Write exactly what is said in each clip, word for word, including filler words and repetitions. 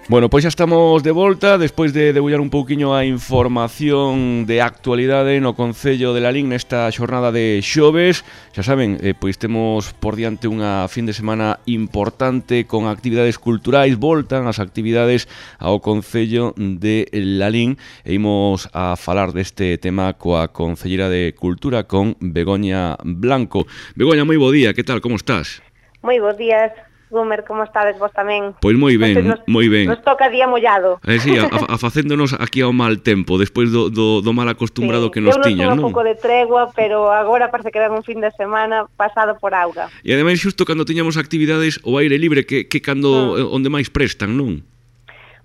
Bueno, pois xa estamos de volta despois de debullar un pouquiño a información de actualidade no Concello de Lalín nesta xornada de xoves. Xa saben, eh, pois temos por diante unha fin de semana importante con actividades culturais, voltan as actividades ao Concello de Lalín e imos a falar deste tema coa Concelleira de Cultura, con Begoña Blanco. Begoña, moi bo día, que tal, como estás? Moi bons días. Gumer, como estades vos tamén? Pois moi ben, nos, moi ben. Nos toca día mollado. Eh, sí, a, a facéndonos aquí ao mal tempo, despois do, do, do mal acostumbrado sí, que nos tiñan, non? Eu non un pouco de tregua, pero agora parece que ven un fin de semana pasado por auga. E ademais xusto cando tiñamos actividades ao aire libre, que, que cando mm. onde máis prestan, non?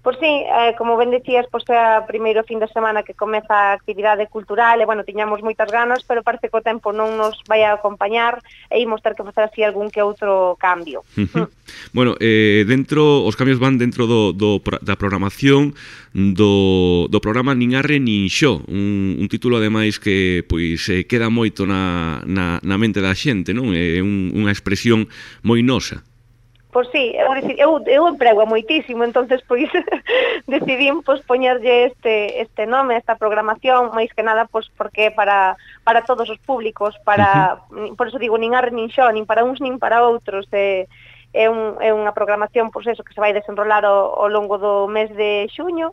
Pois sí, eh, como ben dicías, pois é o primeiro fin de semana que comeza a actividade cultural e, bueno, tiñamos moitas ganas, pero parece que o tempo non nos vai a acompañar e imos ter que facer así algún que outro cambio. Uh -huh. mm. Bueno, eh, dentro, os cambios van dentro do, do, da programación do, do programa Nin Arre Nin Xo, un, un título ademais que pois eh, queda moito na, na, na mente da xente, non? É un, unha expresión moi nosa. Pois sí, eu, eu, eu emprego moitísimo, entonces pois decidín pois poñerlle este este nome, esta programación, máis que nada pois porque para para todos os públicos, para uh -huh. por eso digo nin arre nin xo, nin para uns nin para outros, é é, un, é unha programación pois eso que se vai desenrolar ao, ao longo do mes de xuño.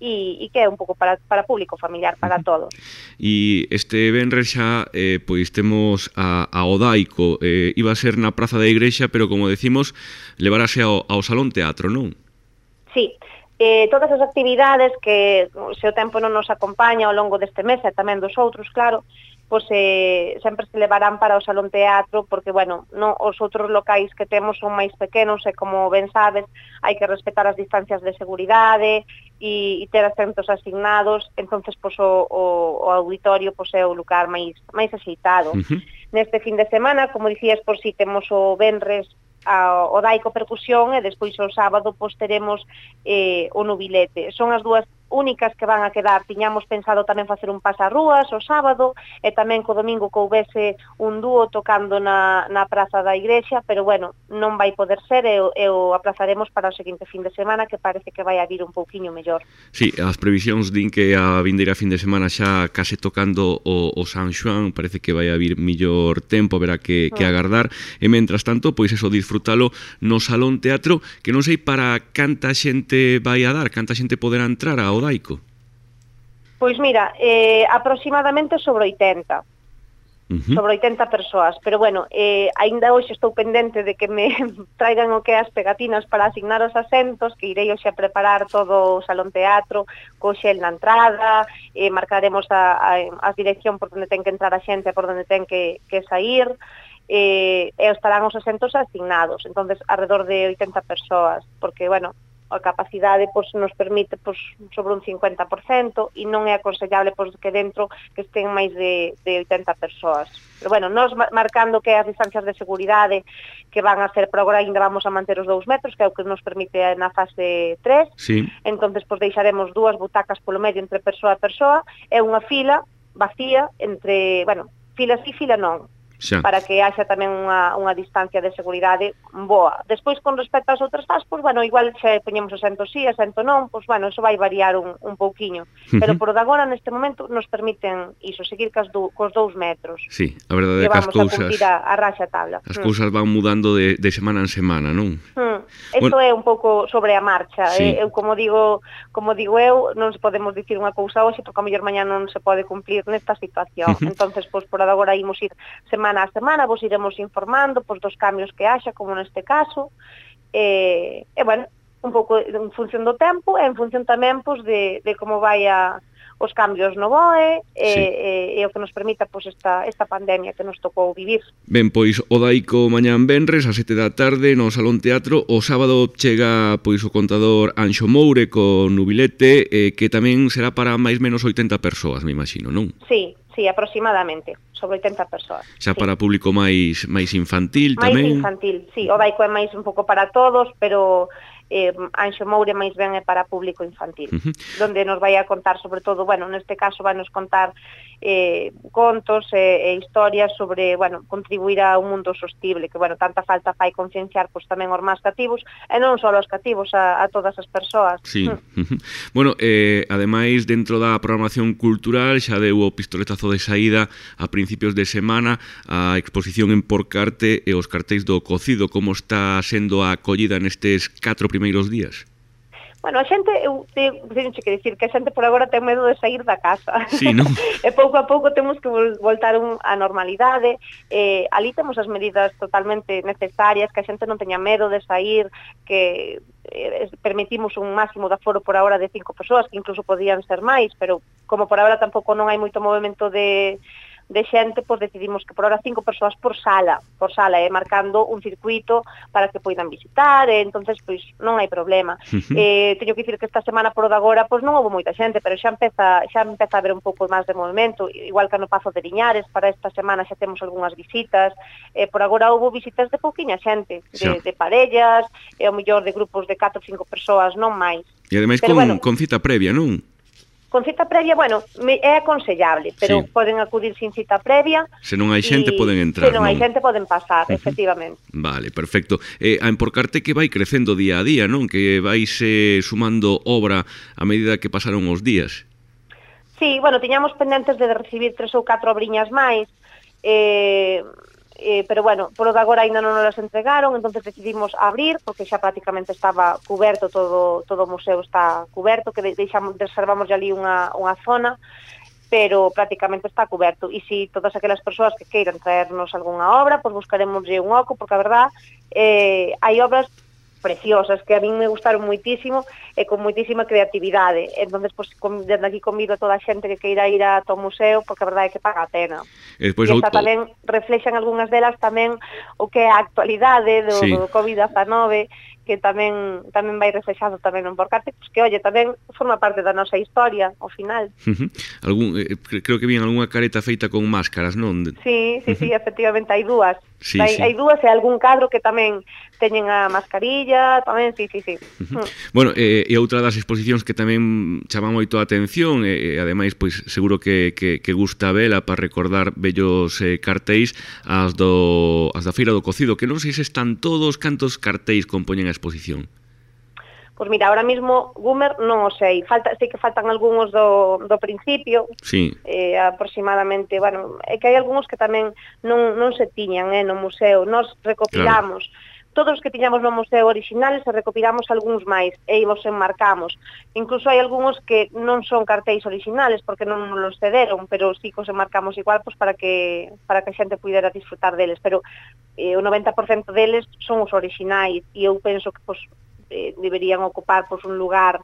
E, e que é un pouco para, para público familiar, para todos. E este venres xa, eh, pois temos a, a Odaico, eh, iba a ser na Praza da Igrexa, pero como decimos, levarase ao, ao Salón Teatro, non? Sí, eh, todas as actividades que se o tempo non nos acompaña ao longo deste mes, e tamén dos outros, claro, pois eh, sempre se levarán para o Salón Teatro, porque, bueno, no, os outros locais que temos son máis pequenos e, como ben sabes, hai que respetar as distancias de seguridade e, e ter asentos asignados, entonces pois, o, o, o auditorio pois, é o lugar máis, máis axeitado. Uh -huh. Neste fin de semana, como dicías, por si temos o venres a, o Daico Percusión e despois o sábado pois, teremos eh, o Nubilete. Son as dúas únicas que van a quedar. Tiñamos pensado tamén facer un pasarrúas o sábado e tamén co domingo que houbese un dúo tocando na, na Praza da Igrexa, pero bueno, non vai poder ser e, e o aplazaremos para o seguinte fin de semana, que parece que vai a vir un pouquiño mellor. Sí, as previsións din que a vindeira fin de semana xa case tocando o, o San Xoán, parece que vai a vir mellor tempo, verá que, que agardar, e mentras tanto, pois eso, disfrutalo no Salón Teatro, que non sei para canta xente vai a dar, canta xente poderá entrar ao Daico. Pois mira, eh, aproximadamente sobre oitenta. Uh -huh. Sobre oitenta persoas, pero bueno, eh, aínda hoxe estou pendente de que me traigan o que as pegatinas para asignar os asentos, que irei hoxe a preparar todo o Salón Teatro, co xel na entrada, eh, marcaremos a, a, a dirección por onde ten que entrar a xente e por onde ten que, que sair, eh, e estarán os asentos asignados, entonces alrededor de oitenta persoas, porque, bueno, a capacidade pois, nos permite pois, sobre un cincuenta por cento e non é aconsellable pois, que dentro que estén máis de, de oitenta persoas. Pero bueno, nos marcando que as distancias de seguridade que van a ser, por agora ainda vamos a manter os dous metros, que é o que nos permite na fase tres, sí. Entonces pois, deixaremos dúas butacas polo medio entre persoa a persoa e unha fila vacía entre, bueno, fila sí, fila non, xa, para que haxa tamén unha, unha distancia de seguridade boa. Despois, con respecto ás outras fases, pois, bueno, igual se poñemos asento sí, asento non, pois, bueno, eso vai variar un, un pouquiño. Uh -huh. Pero por agora, neste momento, nos permiten iso, seguir cos, do, cos dous metros. Sí, a verdade é que as cousas... vamos a cumplir a, a raxa tabla. As hmm. cousas van mudando de, de semana en semana, non? Hmm. Isto bueno, é un pouco sobre a marcha. Sí. Eh? Eu, como digo, como digo eu, non se podemos dicir unha cousa hoxe, porque a mellor mañá non se pode cumplir nesta situación. Uh -huh. Entonces, pois, por agora, imos ir semana a semana, vos iremos informando pois, dos cambios que haxa, como neste caso, e, e bueno, un pouco en función do tempo e en función tamén pois, de, de como vai a, os cambios no B O E e, sí. e, e o que nos permita pois, esta, esta pandemia que nos tocou vivir. Ben, pois o Daico mañán venres a sete da tarde no Salón Teatro, o sábado chega pois o contador Anxo Moure con Nubilete, eh, que tamén será para máis menos oitenta persoas, me imagino, non? Sí, sí, aproximadamente, sobre oitenta persoas. Xa sí. Para público máis máis infantil máis tamén? Máis infantil, sí, o Daico é máis un pouco para todos, pero eh, Anxo Moure máis ben é para público infantil, uh -huh. donde nos vai a contar sobre todo, bueno, neste caso vai nos contar eh, contos e, e historias sobre, bueno, contribuir a un mundo sostible, que, bueno, tanta falta fai concienciar pois tamén aos máis cativos, e non só aos cativos, a, a todas as persoas. Sí. Uh -huh. Bueno, eh, ademais, dentro da programación cultural, xa deu o pistoletazo de saída a principios de semana a exposición en Porcarte e os cartéis do cocido. Como está sendo a acollida nestes catro primeiros días? Bueno, a xente, eu teño que dicir que a xente por agora ten medo de sair da casa. Sí, non? E pouco a pouco temos que voltar á normalidade. Eh, ali temos as medidas totalmente necesarias, que a xente non teña medo de sair, que eh, permitimos un máximo de aforo por agora de cinco persoas, que incluso podían ser máis, pero como por agora tampouco non hai moito movimento de... de xente, pois decidimos que por ahora cinco persoas por sala, por sala, e eh, marcando un circuito para que poidan visitar, e entonces pois non hai problema. Uh -huh. eh, teño que dicir que esta semana por o de agora pois non houve moita xente, pero xa empeza xa empeza a haber un pouco máis de movimento, igual que no Pazo de Liñares, para esta semana xa temos algunhas visitas, eh, por agora houve visitas de pouquiña xente, de, de parellas, e ao mellor de grupos de catro ou cinco persoas, non máis. E ademais con, bueno, con cita previa, non? Con cita previa, bueno, é aconsellable, pero sí. Poden acudir sin cita previa. Se non hai xente, poden entrar, se non? Se non hai xente, poden pasar, uh -huh. efectivamente. Vale, perfecto. Eh, a Emporcarte que vai crecendo día a día, non? Que vais eh, sumando obra a medida que pasaron os días. Sí, bueno, tiñamos pendentes de recibir tres ou catro obriñas máis, eh... Eh, pero bueno, por o de agora ainda non nos las entregaron, entonces decidimos abrir, porque xa prácticamente estaba cuberto, todo todo o museo está cuberto, que deixamos, reservamos ali unha, unha zona, pero prácticamente está cuberto, e si todas aquelas persoas que queiran traernos algunha obra, pois buscaremos un oco, porque a verdad, eh, hai obras preciosas, que a min me gustaron moitísimo e con moitísima creatividade. Entonces, pues, desde aquí convido a toda a xente que queira ir a to museo, porque a verdade é que paga a pena. E, despois, e esta auto... tamén reflexan algunhas delas tamén o que é a actualidade do, sí. do COVID diecinueve, que tamén tamén vai reflexado tamén en Porcarte, pues que, oye, tamén forma parte da nosa historia, ao final. Uh -huh. Algún, eh, creo que vien algunha careta feita con máscaras, non? Sí, sí, sí, efectivamente, hai dúas. Sí, hai, sí. hai dúas e algún cadro que tamén teñen a mascarilla, tamén, sí, sí, sí. Uh -huh. Bueno, eh, e outra das exposicións que tamén chama moito a atención, e eh, ademais, pois, seguro que, que, que gusta vela para recordar bellos eh, cartéis, as, do, as da Feira do Cocido, que non sei se están todos, cantos cartéis compoñen a exposición. Pois mira, ahora mismo Gumer non o sei, falta, sei que faltan algúns do, do principio, sí. eh, aproximadamente, bueno, é que hai algúns que tamén non, non se tiñan eh, no museo, nos recopilamos, claro. Todos os que tiñamos no museo originales e recopilamos algúns máis e os enmarcamos. Incluso hai algúns que non son cartéis originales porque non nos cederon, pero sí que os enmarcamos igual pues, para que para que a xente pudera disfrutar deles, pero eh, o noventa por cento deles son os originais e eu penso que pues, eh, deberían ocupar pues, un lugar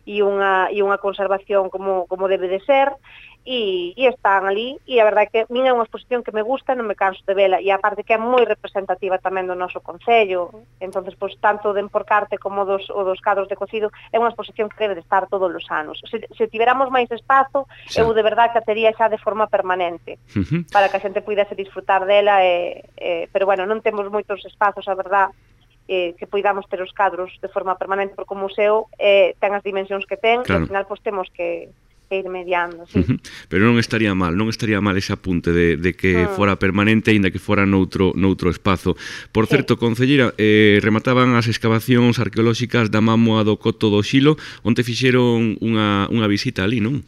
e unha, e unha conservación como, como debe de ser, e, e están ali, e a verdade é que a min é unha exposición que me gusta, non me canso de vela, e aparte que é moi representativa tamén do noso concello, entonces pues, tanto de Emporcarte como dos, o dos cadros de cocido, é unha exposición que debe de estar todos os anos. Se, se tiveramos máis espazo, sí. Eu de verdade que a tería xa de forma permanente, uh -huh. para que a xente pudese disfrutar dela, e, e, pero bueno, non temos moitos espazos, a verdade, Eh, que poidamos ter os cadros de forma permanente, porque o museo eh, ten as dimensións que ten, claro. E ao final pues, temos que, que ir mediando, sí. Uh -huh. Pero non estaría mal, non estaría mal ese apunte de, de que uh -huh. fora permanente, aínda que fora noutro, noutro espazo. Por sí. Certo, concelleira, eh, remataban as excavacións arqueolóxicas da Mámoa do Coto do Xilo, onde fixeron unha, unha visita ali, non?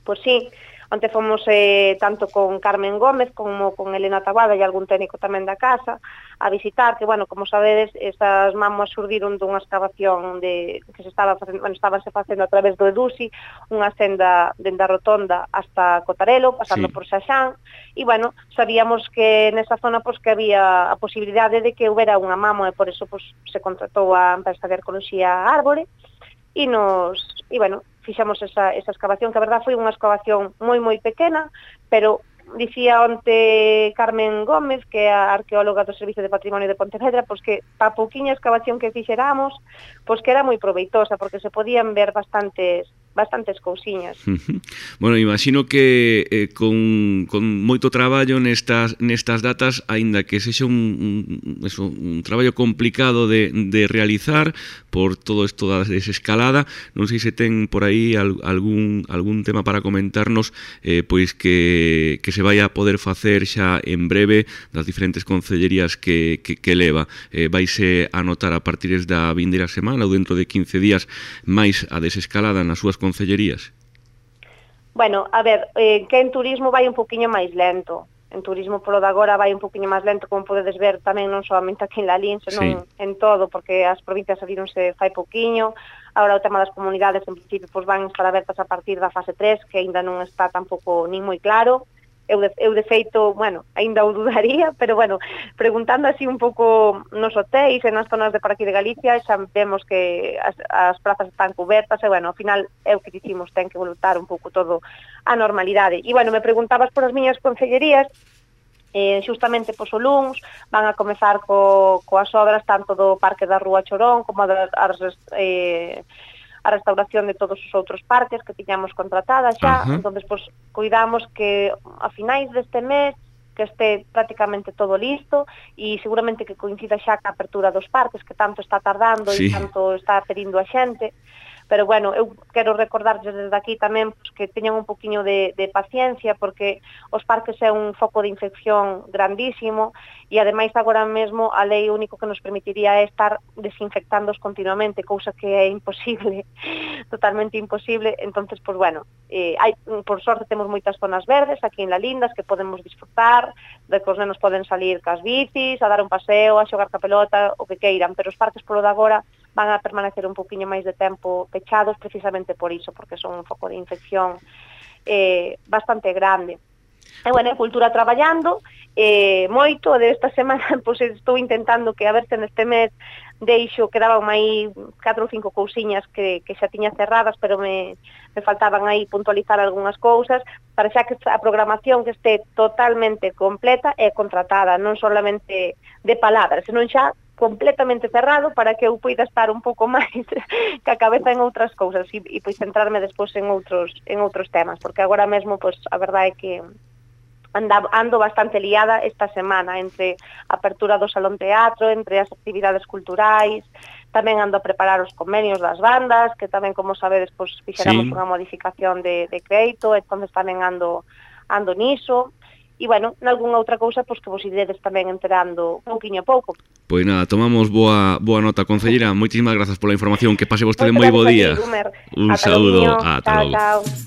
Pois sí. Onte fomos eh, tanto con Carmen Gómez como con Elena Taboada e algún técnico tamén da casa a visitar, que, bueno, como sabedes, esas mámoas surdiron dunha excavación de, que se estaba facendo, bueno, estábase facendo a través do Edusi, unha senda dende a Rotonda hasta Cotarelo, pasando sí. por Xaxán, e, bueno, sabíamos que nesa zona pues, que había a posibilidade de que houbera unha mámoa, e por eso pues, se contratou a empresa de arqueoloxía Árbore, e nos, e, bueno, fixamos esa, esa excavación, que a verdad foi unha excavación moi moi pequena, pero dicía onte Carmen Gómez, que é a arqueóloga do Servicio de Patrimonio de Pontevedra, pois que pa pouquiña excavación que fixeramos, pois que era moi proveitosa, porque se podían ver bastantes bastantes cousiñas. Uh -huh. Bueno, imagino que eh, con, con moito traballo nestas, nestas datas, aínda que sexa un, un, eso, un traballo complicado de, de realizar por todo isto da desescalada, non sei se ten por aí al, algún, algún tema para comentarnos eh, pois que, que se vai a poder facer xa en breve das diferentes concellerías que, que, que leva. Eh, vaise a notar a partir da vindeira semana ou dentro de quince días máis a desescalada nas súas concellerías? Bueno, a ver, eh, que en turismo vai un poquinho máis lento. En turismo polo de agora vai un poquinho máis lento, como podedes ver tamén non solamente aquí en Lalín, senón sí. en todo, porque as provincias abrironse fai poquinho. Agora o tema das comunidades, en principio, pues, van estar abertas a partir da fase tres, que aínda non está tampouco nin moi claro. Eu de, eu de feito, bueno, aínda o dudaría, pero bueno, preguntando así un pouco nos hotéis e nas zonas de por aquí de Galicia, xa vemos que as, as plazas están cubertas e, bueno, ao final é o que dicimos, ten que voltar un pouco todo a normalidade. E, bueno, me preguntabas por as miñas concellerías, eh, xustamente pois o luns van a comezar co, coas obras tanto do Parque da Rúa Chorón como das as, eh, a restauración de todos os outros parques que tiñamos contratadas xa. Uh-huh. Entonces, pues, cuidamos que a finais deste mes que este prácticamente todo listo e seguramente que coincida xa ca apertura dos parques que tanto está tardando sí. e tanto está pedindo a xente. Pero, bueno, eu quero recordarles desde aquí tamén pues, que teñan un poquinho de, de paciencia porque os parques é un foco de infección grandísimo e, ademais, agora mesmo a lei único que nos permitiría é estar desinfectándoos continuamente, cousa que é imposible, totalmente imposible. Entonces, pues, bueno, eh, hai, por sorte temos moitas zonas verdes aquí en Lalindas que podemos disfrutar, de que os nenos poden salir cas bicis, a dar un paseo, a xogar ca pelota, o que queiran, pero os parques polo de agora van a permanecer un poquinho máis de tempo pechados precisamente por iso, porque son un foco de infección eh, bastante grande. E, bueno, en cultura traballando eh, moito, de esta semana pois, estou intentando que a ver se neste mes deixo, quedaban aí catro ou cinco cousiñas que, que xa tiña cerradas, pero me, me faltaban aí puntualizar algunhas cousas, para xa que a programación que este totalmente completa e contratada, non solamente de palabras, senón xa completamente cerrado para que eu poida estar un pouco máis ca cabeza en outras cousas e, e pois centrarme despois en outros en outros temas, porque agora mesmo pois a verdade é que anda, ando bastante liada esta semana entre a apertura do Salón Teatro, entre as actividades culturais, tamén ando a preparar os convenios das bandas, que tamén, como sabedes, pois fixeramos sí. unha modificación de, de crédito, entonces tamén ando ando niso. E, bueno, nalgúnha outra cousa, pois que vos iredes tamén enterando pouquiño a pouco. Pois nada, tomamos boa boa nota, concelleira. Moitísimas grazas pola información. Que pase vostede moi bo día. Un saúdo. Ata logo.